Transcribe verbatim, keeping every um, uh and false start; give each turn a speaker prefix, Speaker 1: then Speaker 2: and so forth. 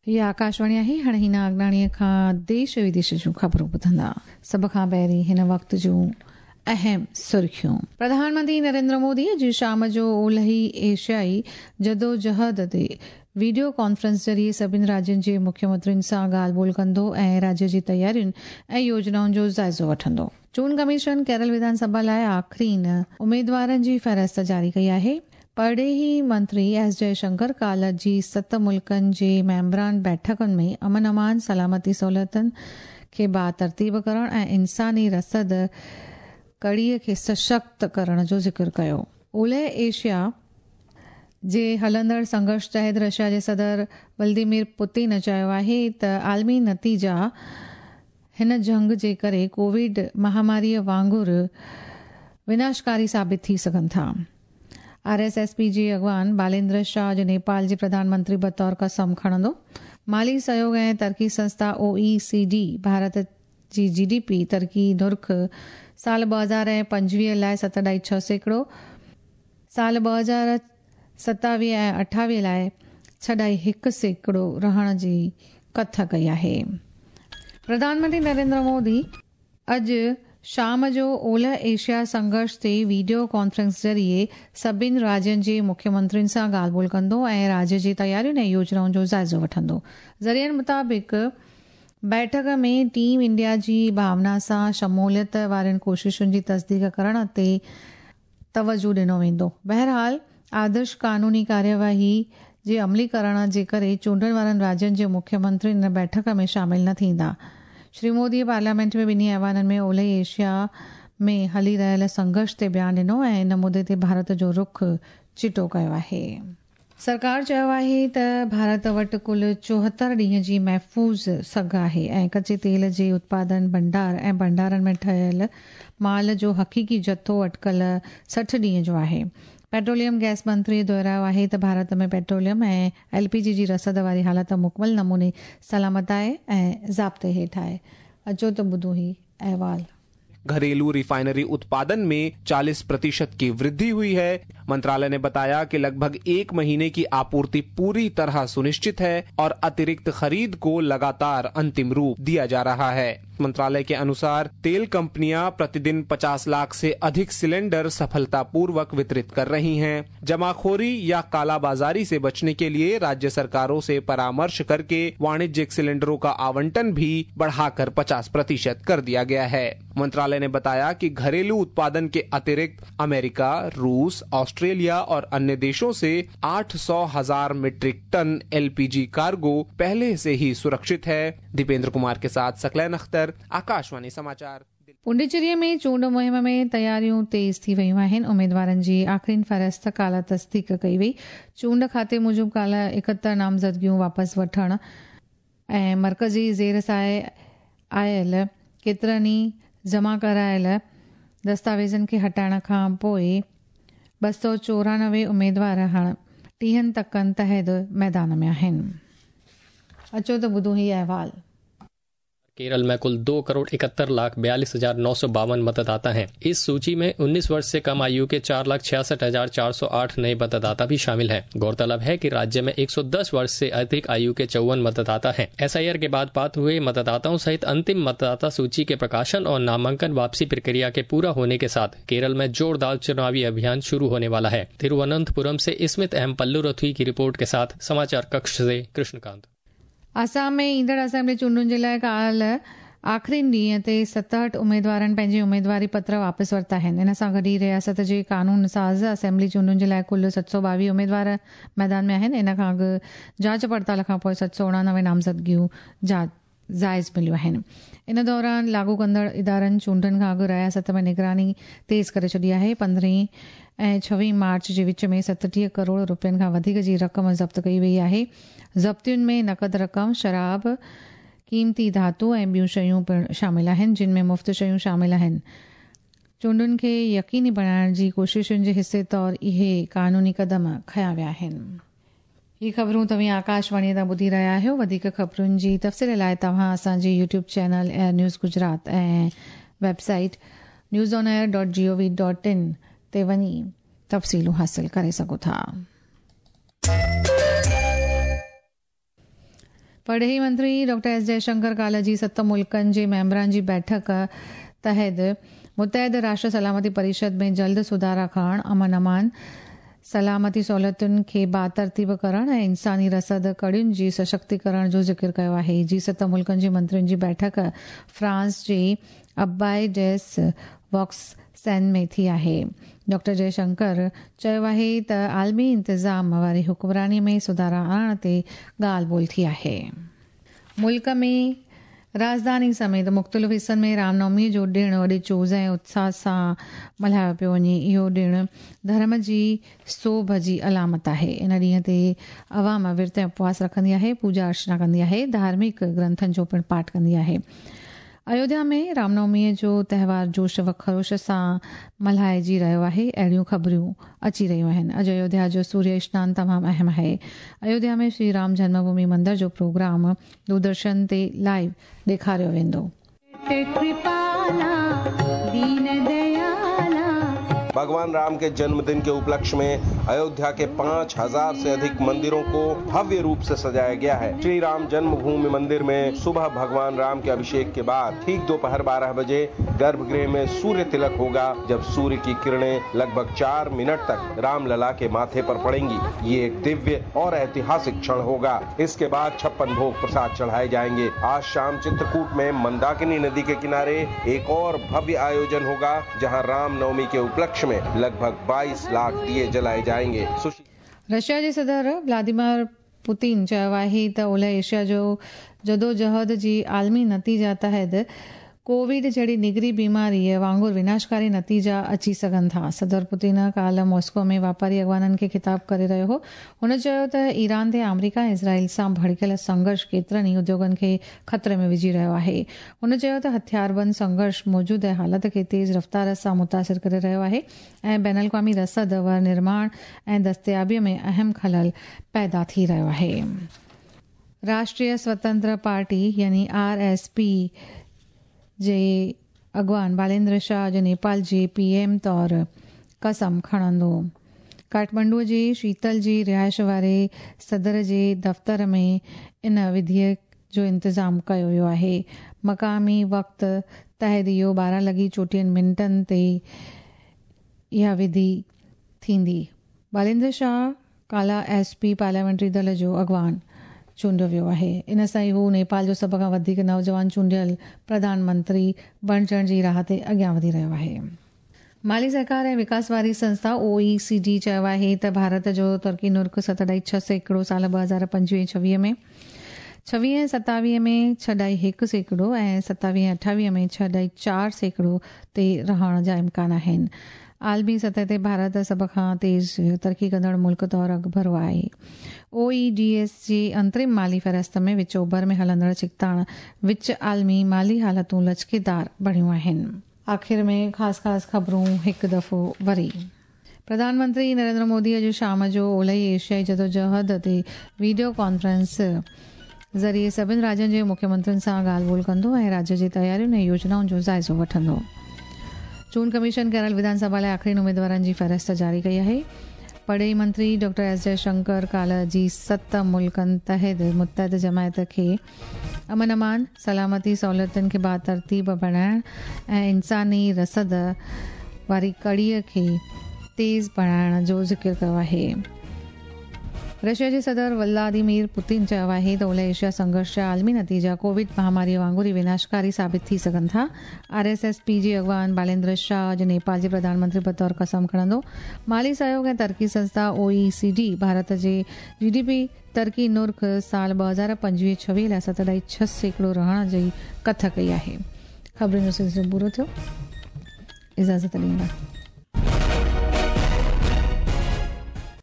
Speaker 1: हीअ आकाशवाणी आहे। हाणे हिन अॻाणीअ खां देश विदेश जूं ख़बरूं ॿुधंदा। सभ खां पहिरीं हिन वक़्त जूं अहम सुर्खियूं। प्रधानमंत्री नरेंद्र मोदी अॼु शाम जो ओलही एशियाई जदोजहद ते वीडियो कॉन्फ्रेंस ज़रिए सभिनी राज्यनि जे मुख्यमंत्रियुनि सां ॻाल्हि ॿोल कंदो ऐं राज्य जी तयारियुनि ऐं योजनाउनि जो जाइज़ो वठंदो। चूंड कमीशन केरल विधानसभा लाइ आख़िरीन उमेदवारनि जी फ़हरिस्त जारी कई आहे। परॾेही मंत्री एस जयशंकर काल्ह जी सत मुल्कनि जे मेंबरान बैठकुनि में अमन अमान, सलामती सहूलियतुनि खे बातरतीब करण ऐं इंसानी रसद कड़ीअ खे सशक्त करण जो ज़िक्र कयो। ओलह एशिया जे हलंदड़ संघर्ष तहत रशिया जे सदर व्लादिमीर पुतिन चयो आहे त आलमी नतीजा हिन जंग जे करे कोविड महामारीअ वांगुरु विनाशकारी साबित थी सघनि था। आर एस एस पी जे अॻवान बालेंद्र शाह अॼु नेपाल जे प्रधानमंत्री बतौर कसम खणंदो। माली सहयोग ऐं तरक़ी संस्था ओ ई सी डी भारत जी जी डी पी तरक़ी नुर्ख साल ॿ हज़ार ऐं पंजवीह लाइ सत ॾाई छह सैकड़ो, साल ॿ हज़ार सतावीह ऐं अठावीह लाइ छह ॾाई हिकु सैकड़ो रहण जी कथ कई आहे। प्रधानमंत्री नरेंद्र मोदी अॼु शाम जो ओलह एशिया संघर्ष ते वीडियो कॉन्फ्रेंस ज़रिए सभिनी राज्यनि जे मुख्यमंत्रियुनि सां ॻाल्हि ॿोल कंदो ऐं राज्य जी तयारियुनि ऐं योजनाउनि जो जाइज़ो वठंदो। ज़रियनि मुताबिक़ बैठक में टीम इंडिया जी भावना सां शमूलियत वारनि कोशिशुनि जी तस्दीक करण ते तवजो ॾिनो वेंदो। बहरहाल आदर्श कानूनी कार्यवाही जे अमलीकरण जे करे चूंडनि वारनि राज्यनि जे मुख्यमंत्री इन बैठक में शामिल न थींदा। श्री मोदी पार्लियामेंट में ॿिन्ही ऐवाननि में ओलह एशिया में हली रहियल संघर्ष ते बयान ॾिनो ऐं इन मुद्दे ते भारत जो रुख चिटो कयो आहे। सरकार चयो आहे त भारत वटि कुल चोहतरि ॾींहं जी महफ़ूज़ सघ आहे ऐं कच्चे तेल जे उत्पादन भंडार ऐं भंडारनि में ठहियल माल जो हक़ीक़ी जथो अटकल सठि ॾींहं जो आहे। पेट्रोलियम गैस मंत्री दोहरायो आहे त भारत में पेट्रोलियम ऐं एल पी जी जी रसद वारी हालत मुकमल नमूने सलामत आहे ऐं ज़ाब्ते हेठि आहे। अचो त ॿुधूं ही अहवाल।
Speaker 2: घरेलू रिफाइनरी उत्पादन में चालीस प्रतिशत की वृद्धि हुई है। मंत्रालय ने बताया कि लगभग एक महीने की आपूर्ति पूरी तरह सुनिश्चित है और अतिरिक्त खरीद को लगातार अंतिम रूप दिया जा रहा है। मंत्रालय के अनुसार तेल कंपनियां प्रतिदिन पचास लाख से अधिक सिलेंडर सफलतापूर्वक वितरित कर रही हैं। जमाखोरी या कालाबाजारी से बचने के लिए राज्य सरकारों से परामर्श करके वाणिज्यिक सिलेंडरों का आवंटन भी बढ़ाकर पचास प्रतिशत कर दिया गया है। मंत्रालय ने बताया कि घरेलू उत्पादन के अतिरिक्त अमेरिका, रूस, ऑस्ट्रेलिया और अन्य देशों से आठ सौ हजार मीट्रिक टन एलपीजी कार्गो पहले से ही सुरक्षित है। दीपेंद्र कुमार के साथ सकलैन अख्तर, आकाशवाणी समाचार।
Speaker 1: पुडुचेरीअ में चूंड मुहिम में तयारियूं तेज़ थी वयूं आहिनि। उमेदवारनि जी आख़िरीन फ़हरिस्त काल्ह तस्दीक कई वई। चूंड खाते मूजिबि काल्ह एकहतरि नामज़दगियूं वापसि वठण ऐं मर्कज़ी ज़ेर साए आयल केतिरनि ई जमा करायल दस्तावेज़नि खे हटाइण खां पोइ ॿ सौ चोरानवे उमेदवार हाणे टीहनि तकनि तहत मैदान में आहिनि। अचो त ॿुधूं हीउ अहवाल।
Speaker 3: केरल में कुल दो करोड़ इकहत्तर लाख बयालीस हजार नौ सौ बावन मतदाता हैं। इस सूची में उन्नीस वर्ष से कम आयु के चार लाख छियासठ हजार चार सौ आठ नए मतदाता भी शामिल हैं। गौरतलब है कि राज्य में एक सौ दस वर्ष से अधिक आयु के चौवन मतदाता हैं। एस I R के बाद पात्र हुए मतदाताओं सहित अंतिम मतदाता सूची के प्रकाशन और नामांकन वापसी प्रक्रिया के पूरा होने के साथ केरल में जोरदार चुनावी अभियान शुरू होने वाला है। तिरुवनंतपुरम से स्मित एम पल्लुरथी की रिपोर्ट के साथ समाचार कक्ष से कृष्णकांत।
Speaker 1: आसाम में ईंदड़ असेंबली चूंडुनि जे लाइ काल्ह आख़िरीन ॾींहं ते सतहठि उमेदवारनि पंहिंजी उमेदवारी पत्र वापसि वरिता आहिनि। इन सां गॾु ई रियासत जे कानून साज़ असेंबली चूंडुनि जे लाइ कुल सत सौ ॿावीह उमेदवार मैदान में आहिनि। इन खां अॻु जांच पड़ताल खां पोइ सत सौ उणानवे नामज़दगियूं जाइज़ मिलियूं आहिनि। इन दौरान लागू कंदड़ इदारनि चूंडुनि खां अॻु रियासत में निगरानी तेज़ करे छॾी आहे। पंद्रहीं ऐं छवीह मार्च जे विच में सतटीह करोड़ रुपयनि खां वधीक जी रक़म ज़ब्त कई वई आहे। ज़ब्तियुनि में नक़द रक़म, शराब, क़ीमती धातु ऐं ॿियूं शयूं पिणु शामिल आहिनि, जिन में मुफ़्त शयूं शामिल आहिनि। चूंडुनि खे यकीनी बणाइण जी कोशिशुनि जे हिसे तौर इहे कानूनी क़दम खयां विया आहिनि। ही ख़बरूं तव्हीं आकाशवाणीअ तां ॿुधी रहिया आहियो। वधीक ख़बरुनि जी तफ़सील लाइ तव्हां असांजी YouTube channel air news Gujarat ऐं website news on air dot G O V dot in ते वञी तफ़सीलूं हासिल करे सघो था। परॾेही मंत्री डॉक्टर एस जयशंकर काल्ह जी सत मुल्कनि जे मेंबरनि जी बैठक तहत मुतहद राष्ट्र सलामती परिषद में जल्द सुधारा करण, अमन अमान, सलामती सहूलियतुनि खे बातरतीब करण ऐं इंसानी रसद कड़ियुनि जी सशक्तीकरण जो ज़िक्र कयो आहे। जी सत मुल्कनि जे मंत्रियुनि जी बैठक फ्रांस जे अबाई डेस वॉक्स-सैन में थी आहे। डॉक्टर जयशंकर चयो आहे त आलमी इंतज़ाम वारी हुक्मरानी में सुधारा आणण ते ॻाल्हि ॿोल थी आहे। मुल्क में राजधानी समेत मुख़्तलिफ़ हिसनि में रामनवमी जो ॾिणु वॾे चोज़ ऐं उत्साह सां मल्हायो पियो वञे। इहो ॾिणु धर्म जी सोभ जी अलामत आहे। इन ॾींहं ते अवाम विर्त ऐं उपवास रखंदी आहे, पूजा अर्चना कंदी आहे, धार्मिक ग्रंथनि जो पिणु पाठ कंदी आहे। अयोध्या में रामनवमीअ जो त्योहार जोश व खरोश सां मल्हाइजी रहियो आहे। अहिड़ियूं ख़बरियूं अची रहियूं आहिनि। अॼु अयोध्या जो सूर्य स्नान तमामु अहम आहे। अयोध्या में श्री राम जन्मभूमि मंदिर जो प्रोग्राम दूरदर्शन ते लाइव ॾेखारियो वेंदो।
Speaker 4: भगवान राम के जन्मदिन के उपलक्ष्य में अयोध्या के पाँच हजार से अधिक मंदिरों को भव्य रूप से सजाया गया है। श्री राम जन्मभूमि मंदिर में सुबह भगवान राम के अभिषेक के बाद ठीक दोपहर बारह बजे गर्भगृह में सूर्य तिलक होगा, जब सूर्य की किरणें लगभग चार मिनट तक रामलला के माथे पर पड़ेंगी। ये एक दिव्य और ऐतिहासिक क्षण होगा। इसके बाद छप्पन भोग प्रसाद चढ़ाए जाएंगे। आज शाम चित्रकूट में मंदाकिनी नदी के किनारे एक और भव्य आयोजन होगा, जहाँ रामनवमी के उपलक्ष्य में लगभग बाईस लाख दिए जलाए जाएंगे।
Speaker 1: रशिया जे सदर व्लादिमीर पुतिन चयो आहे त ओलह एशिया जो जदोजहद जी आलमी नतीजा तहत कोविड जहिड़ी निगरी बीमारीअ वांगुरु विनाशकारी नतीजा अची सघनि था। सदर पुतिन काल्ह मॉस्को में वापारी अॻवाननि खे ख़िताब करे रहियो हो। हुन चयो त ईरान ते आमेरिका ऐं इज़राइल सां भड़कियल संघर्ष केतिरनि ई उद्योगनि खे ख़तरे में विझी रहियो आहे। हुन चयो त हथियारबंद संघर्ष मौजूदा हालत खे तेज़ रफ़्तार सां मुतासिर करे रहियो आहे ऐं बैन अल-अक़वामी रसद व निर्माण ऐं दस्तियाबीअ में अहम ख़लल पैदा थी रहियो आहे। राष्ट्रीय स्वतंत्र पार्टी यानी आर एस पी जे अॻवान बालेंद्र शाह अॼु नेपाल जे पी एम तौर कसम खणंदो। काठमांडूअ जे शीतल जी रिहाइश वारे सदर जे दफ़्तर में इन विधीअ जो इंतज़ाम कयो वियो आहे। मक़ामी वक़्त तहत इहो ॿारहं लॻी चोटीहनि मिंटनि ते इहा विधि थींदी। बालेंद्र शाह काला एस पी पार्लियामेंट्री दल जो अॻवान चूंडियो वियो आहे। इन सां ई हू नेपाल जो सभ खां वधीक नौजवान चूंडियल प्रधानमंत्री बणिजण जी राह ते अॻियां वधी रहियो आहे। माली सहकार ऐं विकास वारी संस्था ओ ई सी डी चयो आहे त भारत जो तरक़ी नुर्ख सत अढाई छह सैकड़ो साल ॿ हज़ार पंजवीह छवीह में, छवीह ऐं सतावीह में छह अढाई हिकु सैकड़ो ऐं सतावीह अठावीह में छह अढाई चारि सैकड़ो ते रहण जा इम्कान आहिनि। आलमी सतह ते भारत सभ खां तेज़ तरक़ी कंदड़ मुल्क तौर अॻिभरो आहे। ओ ई डी एस जी अंतरिम माली फ़हरिस्त में विच ओभर में हलंदड़ छिकताण विच आलमी माली हालतूं लचकेदार बणियूं आहिनि। आख़िर में ख़ासि ख़ासि ख़बरूं हिकु दफ़ो वरी। प्रधानमंत्री नरेंद्र मोदी अॼु शाम जो ओलही एशियाई जदोजहद ते वीडियो कॉन्फ्रेंस ज़रिए सभिनी राज्यनि जे मुख्यमंत्रियुनि सां ॻाल्हि ॿोल कंदो ऐं राज्य जी तयारियुनि ऐं योजनाउनि जो जाइज़ो वठंदो। चूंड कमीशन केरल विधानसभा लाइ आख़िरी उमेदवारनि जी फ़हरिस्त जारी कई आहे। परॾेही मंत्री डॉक्टर एस जयशंकर काल्ह जी सत मुल्कनि तहत मुतहद जमायत खे अमन अमान, सलामती सहूलियतुनि खे बातरतीब बणाइण ऐं इंसानी रसद वारी कड़ीअ खे तेज़ बणाइण जो ज़िक्र कयो आहे। रशिया जे सदर व्लादिमीर पुतिन चयो आहे त ओलह एशिया संघर्ष जा आलमी नतीजा कोविड महामारीअ वांगुरु ई विनाशकारी साबित थी सघनि था। आर एस एस पी जे अॻवान बालेंद्र शाह अॼु नेपाल जे प्रधानमंत्री बतौर कसम खणंदो। माली सहयोग ऐं तरक़ी संस्था ओ ई सी डी भारत जे जी डी पी तरक़ी नुर्ख साल ॿ हज़ार पंजवीह छवीह लाइ सत अढाई छह सैकड़ो रहण जी कथ कई आहे। ख़बरुनि जो सिलसिलो पूरो थियो। इजाज़त ॾींदा।